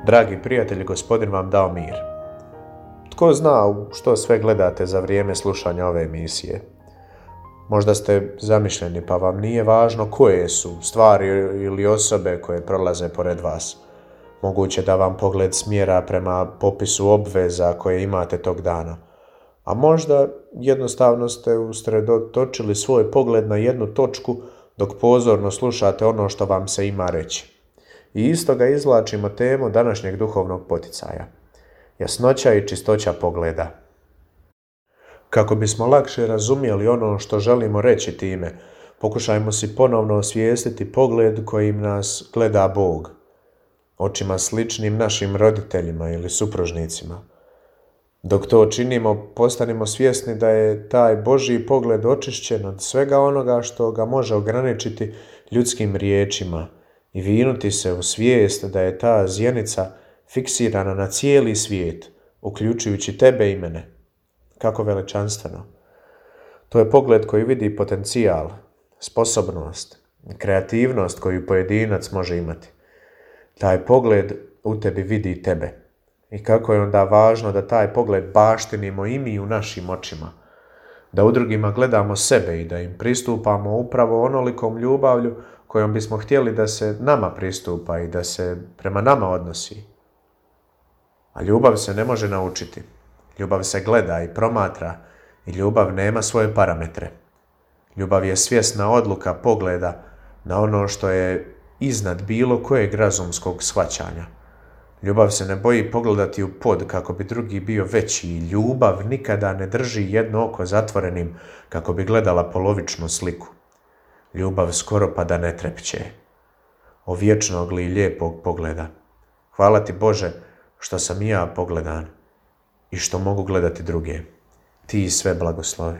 Dragi prijatelji, Gospodin vam dao mir. Tko zna što sve gledate za vrijeme slušanja ove emisije? Možda ste zamišljeni pa vam nije važno koje su stvari ili osobe koje prolaze pored vas. Moguće da vam pogled smjera prema popisu obveza koje imate tog dana. A možda jednostavno ste usredotočili svoj pogled na jednu točku dok pozorno slušate ono što vam se ima reći. I iz toga izvlačimo temu današnjeg duhovnog poticaja. Jasnoća i čistoća pogleda. Kako bismo lakše razumjeli ono što želimo reći time, pokušajmo si ponovno osvijestiti pogled kojim nas gleda Bog. Očima sličnim našim roditeljima ili supružnicima. Dok to činimo, postanimo svjesni da je taj Božji pogled očišćen od svega onoga što ga može ograničiti ljudskim riječima i vinuti se u svijest da je ta zjenica fiksirana na cijeli svijet, uključujući tebe i mene. Kako veličanstveno. To je pogled koji vidi potencijal, sposobnost, kreativnost koju pojedinac može imati. Taj pogled u tebi vidi tebe. I kako je onda važno da taj pogled baštinimo i mi u našim očima. Da u drugima gledamo sebe i da im pristupamo upravo onolikom ljubavlju kojom bismo htjeli da se nama pristupa i da se prema nama odnosi. A ljubav se ne može naučiti. Ljubav se gleda i promatra i ljubav nema svoje parametre. Ljubav je svjesna odluka pogleda na ono što je iznad bilo kojeg razumskog shvaćanja. Ljubav se ne boji pogledati u pod kako bi drugi bio veći i ljubav nikada ne drži jedno oko zatvorenim kako bi gledala polovičnu sliku. Ljubav skoro pa da ne trepće. O vječnog li lijepog pogleda. Hvala ti Bože što sam i ja pogledan i što mogu gledati druge. Ti sve blagoslovi.